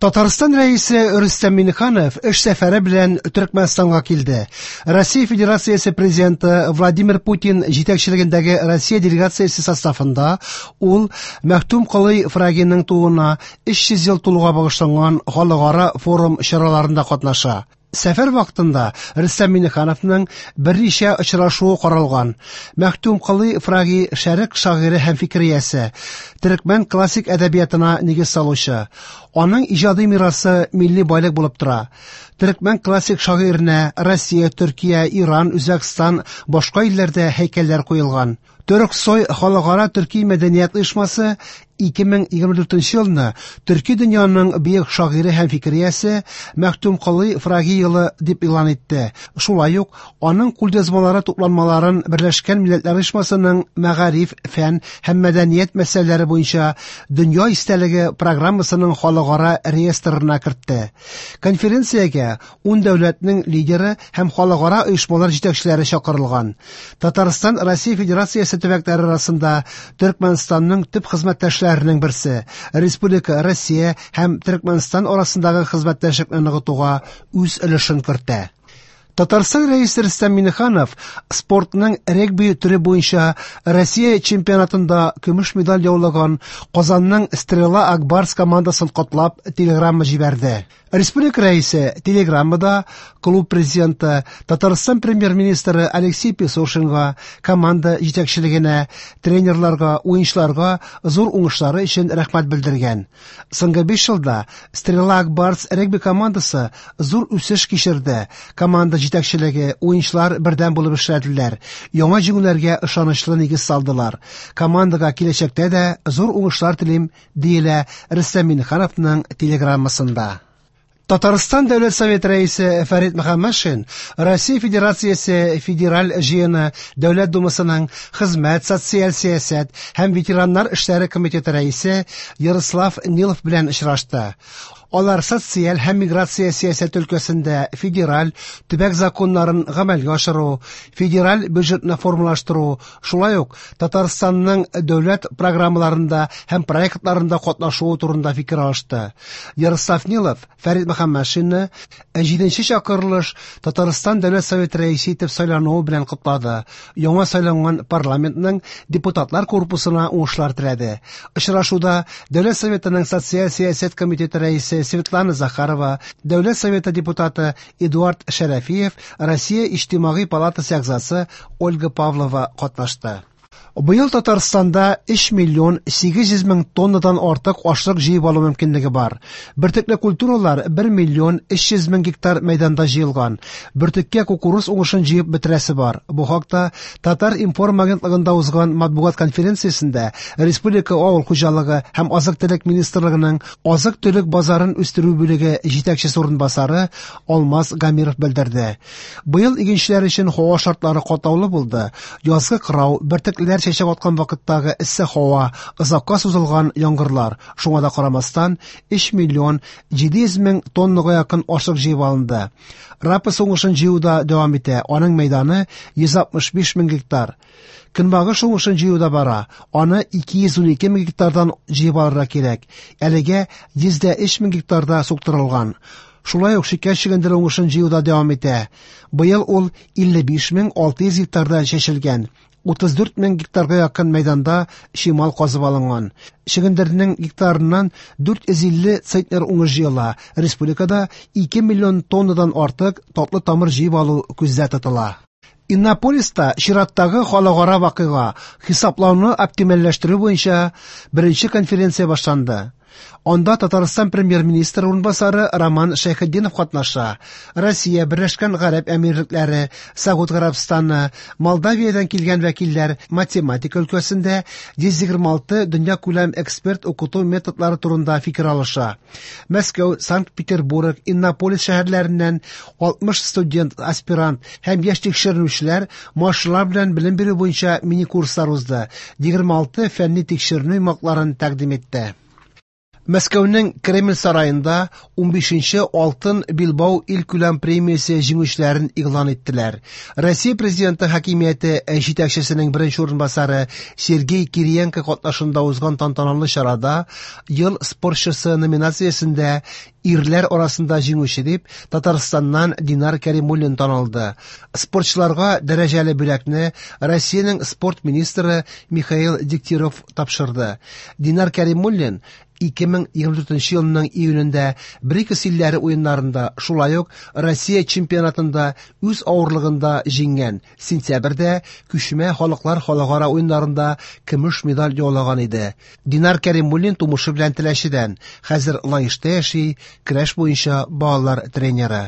Татарстан Рәисе Рөстәм Миңнеханов эш сәфәре белән Төркмәнстанга килде. Россия Федерациясе Президенты Владимир Путин җитәкчелегендәге Россия делегациясе составында ул Мәхтүм Колый Фрагиның тууына 300 ел тулуга багышланган халыкара форум чараларында катнаша. Сәфәр вакытында Рөстәм Миңнехановның берничә очрашуы каралган. Мәхтүм Колый Фраги шәрык шагыйре һәм фикер иясе, төркмән классик әдәбиятына нигез салучы. Аның иҗади мирасы милли байлык булып тора. Төркмән классик шагыйренә Россия, Төркия, Иран, Үзбәкстан, башка илләрдә һәйкәлләр куелган. Төрксой халыкара төрки мәдәният оешмасы 2024 елны төрки дөньяның бөек шагыйре һәм фикер иясе Мәхтүм Колый Фраги елы дип игълан итте. Шулай ук аның кулъязмалары тупланмаларын Берләшкән Милләтләр Оешмасының мәгариф, фән һәм мәдәният мәсьәләләре буенча дөнья истәлеге программасының халыкара реестрына кертте. Конференциягә 10 дәүләтнең лидеры һәм халыкара оешмалар җитәкчеләре чакырылган. Татарстан Россия Федерациясе төбәкләре арасында Төркмәнстанның төп хезмәттәшләренең берсе. Республика Россия һәм Төркмәнстан арасындагы хезмәттәшлекне ныгытуга үз өлешен кертә. Татарстан Рәисе Рөстәм Миңнеханов спортның регби төре буенча Россия чемпионатында көмеш медаль яулаган Казанның Стрела Акбарс командасын котлап телеграмма җибәрде. Республика Рәисе телеграммада клуб президенты, Татарстан премьер-министры Алексей Песошинга, команда җитәкчелегенә, тренерларга, уенчыларга зур уңышлары өчен рәхмәт белдергән. Соңгы 5 елда Стрела Акбарс регби командасы зур үсеш кичерде. Команда җитәкчелеге, уенчылар бердәм булып эшләделәр. Яңа җиңүләргә ышанычлы нигез салдылар. Командага киләчәктә дә зур уңышлар телим, диелә Рөстәм Миңнехановның телеграммасында. Татарстан Дәүләт Советы рәисе Фәрит Мөхәммәтшин Россия Федерациясе Федераль җыены Дәүләт Думасының Хезмәт, социаль сәясәт һәм ветераннар эшләре комитеты рәисе Ярослав Нилов белән очрашты. Алар социаль һәм миграция сәясәте өлкәсендә федераль, төбәк законнарын гамәлгә ашыру, федераль бюджетны формалаштыру, шулай ук Татарстанның дәүләт программаларында һәм проектларында катнашуы турында фикер алышты. Ярослав Нилов Фәрит Мөхәммәтшинны 7нче чакырылыш Татарстан Дәүләт Советы рәисе итеп сайлануы белән котлады. Яңа сайланган парламентның депутатлар корпусына уңышлар теләде. Очрашуда Дәүләт Советының социаль сәясәт комитеты рәисе Светлана Захарова, Дәүләт Советы депутаты Эдуард Шәрәфиев, Россия Иҗтимагый палатасы әгъзасы Ольга Павлова катнашты. Быел Татарстанда 3 миллион 800 мең тоннадан артык ашлык җыеп алу мөмкинлеге бар. Бөртекле культуралар 1 миллион 300 мең гектар мәйданда җыелган. Бөртеккә кукуруз уңышын җыеп бетерәсе бар. Бу хакта Татар-информ агентлыгында узган матбугат конференциясендә Республика авыл хуҗалыгы һәм азык-төлек министрлыгының азык-төлек базарын үстерү бүлеге җитәкчесе урынбасары Алмаз Гамиров белдерде. Быел игенчеләр өчен һава шартлары катлаулы булды. Язгы кырау, бөртеклеләр чәчәк аткан вакыттагы эссе һава, озакка сузылган яңгырлар. Шуңа да карамастан 3 миллион 700 мең тоннага якын ашлык җыеп алынды. Рапс уңышын җыю да дәвам итә. Аның мәйданы 165 мең гектар. Көнбагыш уңышын җыю да бара. Аны 212 мең гектардан җыеп алырга кирәк. Әлегә 103 мең гектарда суктырылган. Шулай ук шикәр чөгендере уңышын җыю да дәвам итә. Быел ул 55 600 гектарда чәчелгән. 34 мең гектарга якын мәйданда чимал казып алынган. Чөгендернең гектарыннан 450 центнер уңыш җыела. Республикада 2 миллион тоннадан артык татлы тамыр җыеп алу күздә тотыла. Иннополиста чираттагы халыкара вакыйга хисаплауны оптимальләштерү буенча беренче конференция башланды. Анда Татарстан премьер-министры урынбасары Роман Шәйхетдинов катнаша. Россия, Берләшкән Гарәп Әмирлекләре, Сауд Гарәбстаны, Молдавиядән килгән вәкилләр математика өлкәсендә 126 дөньякүләм эксперт укыту методлары турында фикер алыша. Мәскәү, Санкт-Петербург, Иннополис шәһәрләреннән 60 студент, аспирант һәм яшь тикшеренүчеләр машиналар белән белем бирү буенча мини-курслар узды. 26 фәнни тикшеренү йомгакларын тәкъдим итте. Мәскәүнең Кремль сараенда 15нче Алтын билбау илкүләм премиясе җиңүчеләрен игълан иттеләр. Россия Президенты хакимияте җитәкчесенең беренче урынбасары Сергей Кириенко катнашында узган тантаналы чарада Ел спортчысы номинациясендә ирләр арасында җиңүче дип Татарстаннан Динар Кәримуллин танылды. Спортчыларга дәрәҗәле бүләкне Россиянең спорт министры Михаил Дегтярев тапшырды. Динар Кәримуллин 2024 елның июнендә БРИКС илләре уеннарында, шулай ук Россия чемпионатында үз авырлыгында җиңгән. Сентябрьдә Күчмә халыклар халыкара уеннарында көмеш медаль яулаган иде. Динар Кәримуллин тумышы белән Теләчедән, хәзер Лаешта яши, көрәш буенча балалар тренеры.